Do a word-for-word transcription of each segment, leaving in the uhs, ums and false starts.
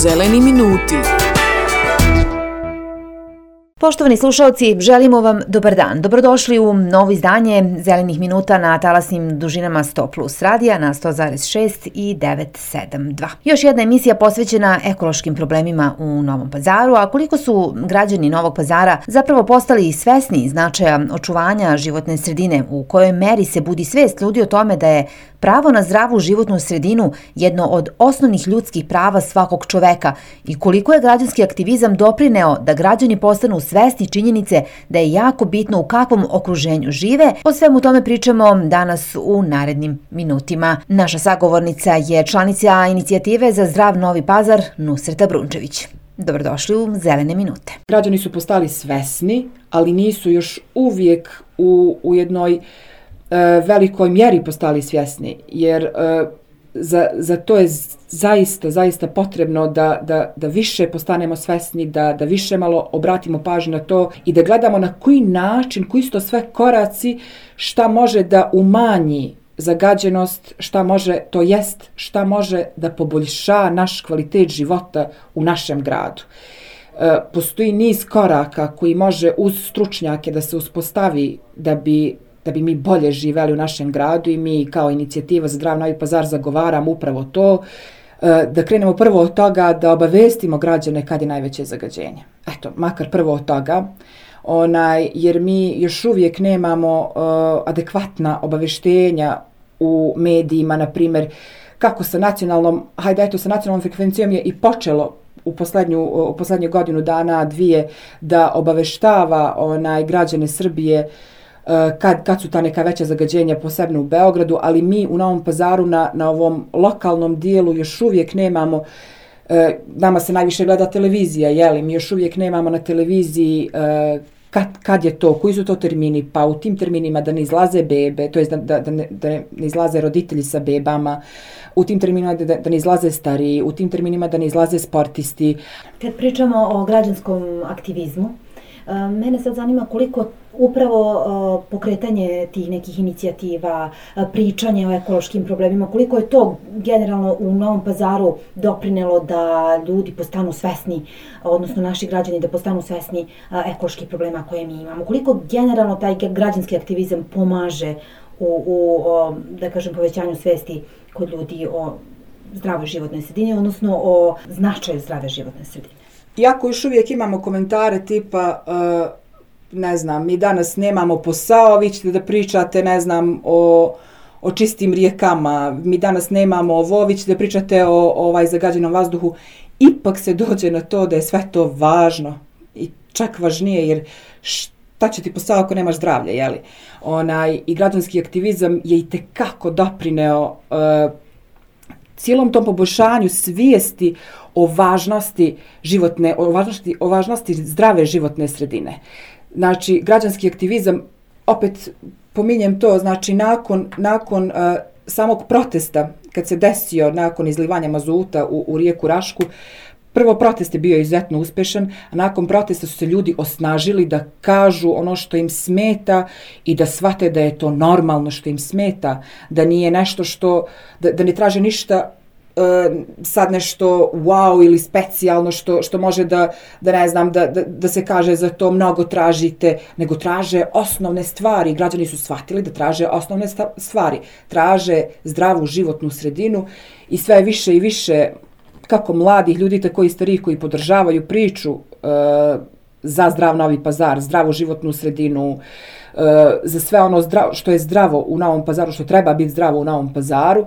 Zeleni minuti. Poštovani slušalci, želimo vam dobar dan. Dobrodošli u novo izdanje Zelenih minuta na talasnim dužinama sto plus radija na sto zarez šest i devet sedam dva. Još jedna emisija posvećena ekološkim problemima u Novom Pazaru, a koliko su građani Novog Pazara zapravo postali svesni značaja očuvanja životne sredine, u kojoj meri se budi svest ljudi o tome da je pravo na zdravu životnu sredinu jedno od osnovnih ljudskih prava svakog čoveka i koliko je građanski aktivizam doprineo da građani postanu svesni činjenice da je jako bitno u kakvom okruženju žive. O svemu tome pričamo danas u narednim minutima. Naša sagovornica je članica inicijative za zdrav Novi Pazar, Nusreta Brunčević. Dobrodošli u Zelene minute. Građani su postali svesni, ali nisu još uvijek u, u jednoj velikoj mjeri postali svjesni, jer uh, za, za to je zaista, zaista potrebno da, da, da više postanemo svjesni, da, da više malo obratimo pažnju na to i da gledamo na koji način, koji su to sve koraci, šta može da umanji zagađenost, šta može, to jest, šta može da poboljša naš kvalitet života u našem gradu. Uh, postoji niz koraka koji može uz stručnjake da se uspostavi da bi da bi mi bolje živeli u našem gradu i mi kao inicijativa za zdrav Novi Pazar zagovaramo upravo to, da krenemo prvo od toga da obavestimo građane kad je najveće zagađenje. Eto, makar prvo od toga, onaj, jer mi još uvijek nemamo uh, adekvatna obaveštenja u medijima, na primjer, kako sa nacionalnom, hajde eto, sa nacionalnom frekvencijom je i počelo u poslednju, u poslednju godinu dana, dvije, da obaveštava onaj, građane Srbije Kad, kad su ta neka veća zagađenja, posebno u Beogradu, ali mi u Novom Pazaru na, na ovom lokalnom dijelu još uvijek nemamo, e, nama se najviše gleda televizija, jeli, mi još uvijek nemamo na televiziji e, kad, kad je to, koji su to termini, pa u tim terminima da ne izlaze bebe, to je da, da, da, ne, da ne izlaze roditelji sa bebama, u tim terminima da, da ne izlaze stariji, u tim terminima da ne izlaze sportisti. Kad pričamo o građanskom aktivizmu, mene sad zanima koliko upravo uh, pokretanje tih nekih inicijativa, uh, pričanje o ekološkim problemima, koliko je to generalno u Novom Pazaru doprinelo da ljudi postanu svesni, odnosno naši građani da postanu svesni uh, ekoloških problema koje mi imamo. Koliko generalno taj građanski aktivizam pomaže u, u o, da kažem, povećanju svesti kod ljudi o zdravoj životnoj sredini, odnosno o značaju zdrave životne sredine. Iako još uvijek imamo komentare tipa, uh, ne znam, mi danas nemamo posao, vi ćete da pričate, ne znam, o, o čistim rijekama, mi danas nemamo ovo, vi ćete da pričate o, o ovaj zagađenom vazduhu, ipak se dođe na to da je sve to važno i čak važnije, jer šta će ti posao ako nemaš zdravlje, jeli? Onaj, i građanski aktivizam je i tekako doprineo uh, cijelom tom poboljšanju svijesti o važnosti životne, o važnosti, o važnosti zdrave životne sredine. Znači, građanski aktivizam, opet pominjem to, znači nakon, nakon uh, samog protesta, kad se desio nakon izlivanja mazuta u, u rijeku Rašku, prvo protest je bio izuzetno uspješan, a nakon protesta su se ljudi osnažili da kažu ono što im smeta i da shvate da je to normalno što im smeta, da nije nešto što, da, da ne traže ništa sad nešto wow ili specijalno što, što može da, da ne znam, da, da, da se kaže za to mnogo tražite, nego traže osnovne stvari. Građani su shvatili da traže osnovne stvari. Traže zdravu životnu sredinu i sve više i više kako mladih ljudi, tako i starih koji podržavaju priču uh, za zdrav Novi Pazar, zdravu životnu sredinu, uh, za sve ono zdravo, što je zdravo u Novom Pazaru, što treba biti zdravo u Novom Pazaru.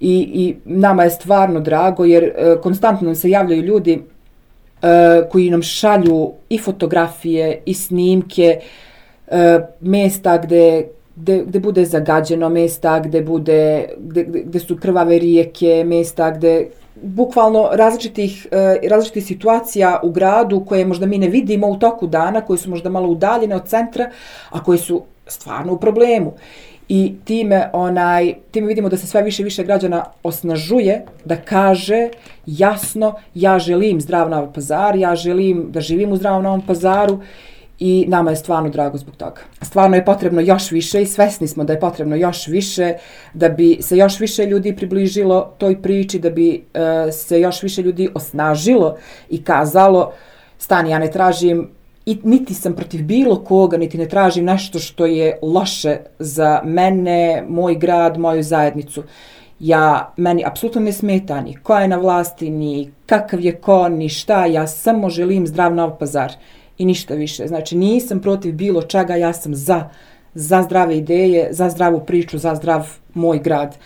I, i nama je stvarno drago jer uh, konstantno nam se javljaju ljudi uh, koji nam šalju i fotografije i snimke uh, mjesta gdje, gdje, gdje bude zagađeno, mjesta gdje, bude, gdje, gdje su krvave rijeke, mjesta gdje bukvalno različitih, uh, različitih situacija u gradu koje možda mi ne vidimo u toku dana, koje su možda malo udaljene od centra, a koje su stvarno u problemu. I time, onaj, time vidimo da se sve više i više građana osnažuje da kaže jasno ja želim zdrav Novi Pazar, ja želim da živim u zdravom Novom Pazaru i nama je stvarno drago zbog toga. Stvarno je potrebno još više i svesni smo da je potrebno još više da bi se još više ljudi približilo toj priči, da bi uh, se još više ljudi osnažilo i kazalo stani, ja ne tražim i niti sam protiv bilo koga, niti ne tražim nešto što je loše za mene, moj grad, moju zajednicu. Ja, meni apsolutno ne smeta ni ko je na vlasti, ni kakav je ko, ni šta, ja samo želim zdrav Novi Pazar i ništa više. Znači nisam protiv bilo čega, ja sam za, za zdrave ideje, za zdravu priču, za zdrav moj grad.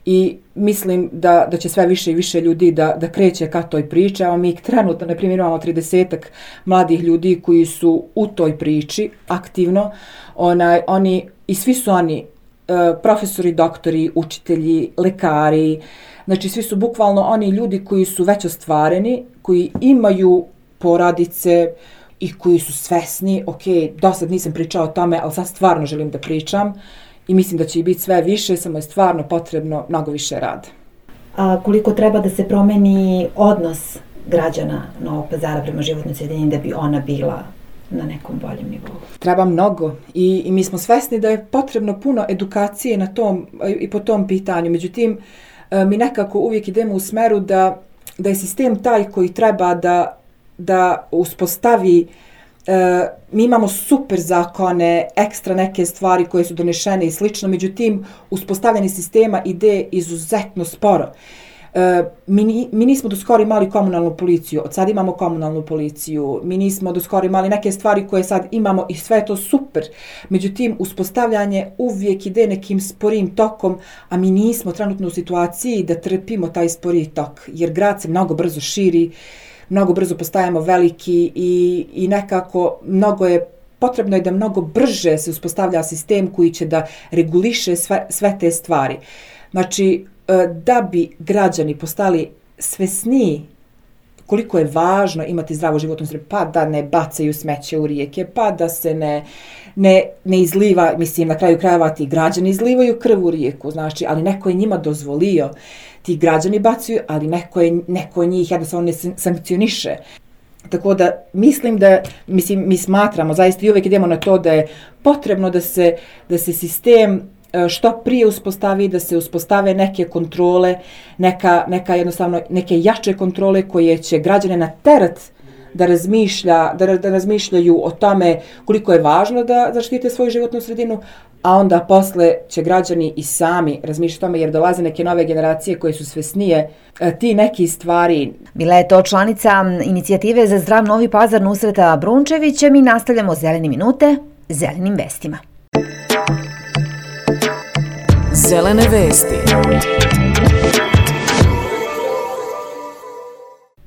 I mislim da, da će sve više i više ljudi da, da kreće ka toj priči. Evo mi trenutno, na primjer, imamo tridesetak mladih ljudi koji su u toj priči aktivno. Onaj, oni, i svi su oni uh, profesori, doktori, učitelji, lekari. Znači svi su bukvalno oni ljudi koji su već ostvareni, koji imaju porodice i koji su svesni, ok, do sad nisam pričao o tome, ali sad stvarno želim da pričam. I mislim da će i biti sve više, samo je stvarno potrebno mnogo više rada. A koliko treba da se promeni odnos građana Novog Pazara prema životnoj sredini da bi ona bila na nekom boljem nivou? Treba mnogo i, i mi smo svesni da je potrebno puno edukacije na tom i po tom pitanju. Međutim, mi nekako uvijek idemo u smeru da, da je sistem taj koji treba da, da uspostavi. E, mi imamo super zakone, ekstra neke stvari koje su donešene i slično, međutim, uspostavljanje sistema ide izuzetno sporo. E, mi, mi nismo do skoro imali komunalnu policiju, od sad imamo komunalnu policiju, mi nismo do skoro imali neke stvari koje sad imamo i sve je to super. Međutim, uspostavljanje uvijek ide nekim sporim tokom, a mi nismo trenutno u situaciji da trpimo taj spori tok, jer grad se mnogo brzo širi, mnogo brzo postajemo veliki i, i nekako mnogo je, potrebno je da mnogo brže se uspostavlja sistem koji će da reguliše sve, sve te stvari. Znači, da bi građani postali svesniji koliko je važno imati zdravu životnu sredinu, pa da ne bacaju smeće u rijeke, pa da se ne, ne, ne izliva, mislim, na kraju krajeva ti građani izlivaju krv u rijeku, znači, ali neko je njima dozvolio. Ti građani bacaju, ali neko, je, neko njih jednostavno ne sankcioniše. Tako da mislim da, mislim, mi smatramo, zaista i uvijek idemo na to da je potrebno da se, da se sistem što prije uspostavi, da se uspostave neke kontrole, neka, neka jednostavno, neke jače kontrole koje će građane naterati da razmišlja, da, da razmišljaju o tome koliko je važno da zaštite svoju životnu sredinu, a onda posle će građani i sami razmišljati o tome jer dolaze neke nove generacije koje su svesnije ti neki stvari. Bila je to članica inicijative za zdrav Novi Pazar Nusreta Brunčevića. Mi nastavljamo Zelene minute zelenim vestima. Zelene vesti.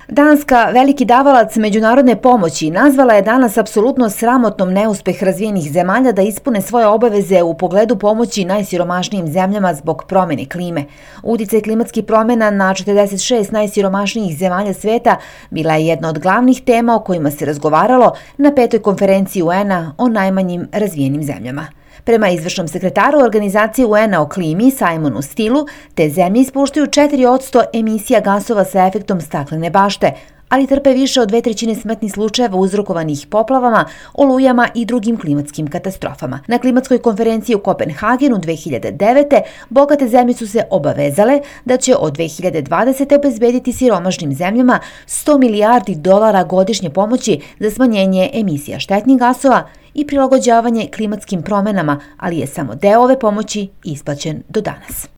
Danska, veliki davalac međunarodne pomoći, nazvala je danas apsolutno sramotnom neuspeh razvijenih zemalja da ispune svoje obaveze u pogledu pomoći najsiromašnijim zemljama zbog promjene klime. Uticaj klimatskih promjena na četrdeset šest najsiromašnijih zemalja sveta bila je jedna od glavnih tema o kojima se razgovaralo na petoj konferenciji U N A o najmanjim razvijenim zemljama. Prema izvršnom sekretaru organizacije U N A o klimi, Simonu Stilu, te zemlje ispuštaju četiri posto emisija gasova sa efektom staklene bašte, ali trpe više od dve trećine smrtnih slučajeva uzrokovanih poplavama, olujama i drugim klimatskim katastrofama. Na klimatskoj konferenciji u Kopenhagenu dve hiljade devete. bogate zemlje su se obavezale da će od dve hiljade dvadesete. obezbediti siromašnim zemljama sto milijardi dolara godišnje pomoći za smanjenje emisija štetnih gasova i prilagođavanje klimatskim promjenama, ali je samo deo ove pomoći isplaćen do danas.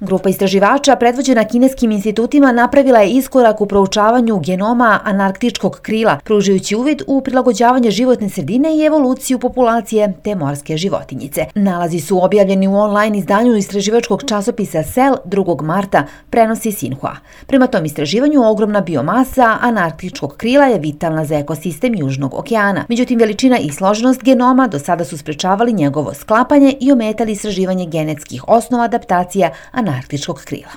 Grupa istraživača predvođena kineskim institutima napravila je iskorak u proučavanju genoma antarktičkog krila, pružajući uvid u prilagođavanje životne sredine i evoluciju populacije te morske životinjice. Nalazi su objavljeni u online izdanju istraživačkog časopisa Cell drugog marta, prenosi Sinhua. Prema tom istraživanju ogromna biomasa antarktičkog krila je vitalna za ekosistem Južnog okeana. Međutim, veličina i složenost genoma do sada su sprečavali njegovo sklapanje i ometali istraživanje genetskih osnova adaptacija antarktičkog krila.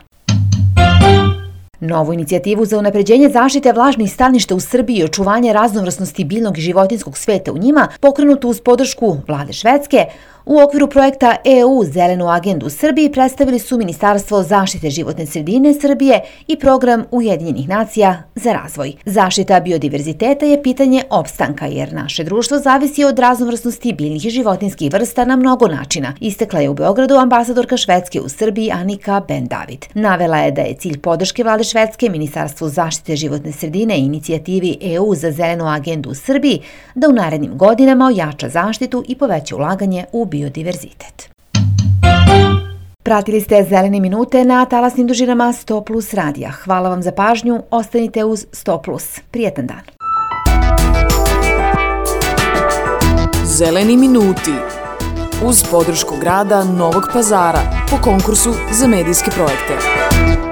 Novu inicijativu za unapređenje zaštite vlažnih staništa u Srbiji i očuvanje raznovrsnosti biljnog i životinjskog sveta u njima, pokrenutu uz podršku vlade Švedske, u okviru projekta E U Zelenu agendu u Srbiji predstavili su Ministarstvo zaštite životne sredine Srbije i Program Ujedinjenih nacija za razvoj. Zaštita biodiverziteta je pitanje opstanka, jer naše društvo zavisi od raznovrsnosti biljnih i životinjskih vrsta na mnogo načina, istakla je u Beogradu ambasadorka Švedske u Srbiji Annika Ben-David. Navela je da je cilj podrške vlade Švedske Ministarstvu zaštite životne sredine i inicijativi E U za Zelenu agendu u Srbiji da u narednim godinama ojača zaštitu i poveća ulaganje u biodiverzitet. Pratili ste Zelene minute na talasnim dužinama sto plus radija. Hvala vam za pažnju, ostanite uz sto plus. Prijetan dan. Zeleni minuti uz podršku grada Novog Pazara po konkursu za medijske projekte.